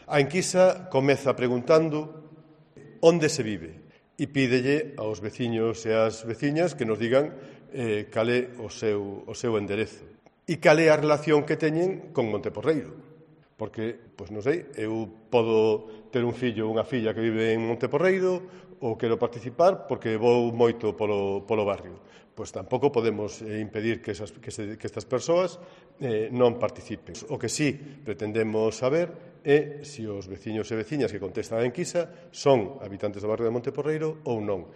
A enquisa comeza preguntando onde se vive e pídelle aos veciños e ás veciñas que nos digan cal é o seu enderezo e cal é a relación que teñen con Monteporreiro. Porque, pois non sei, eu podo ter un fillo ou unha filla que vive en Monteporreiro ou quero participar porque vou moito polo barrio. Pois tampouco podemos impedir que estas persoas non participen. O que sí pretendemos saber é se os veciños e veciñas que contestan a enquisa son habitantes do barrio de Monteporreiro ou non.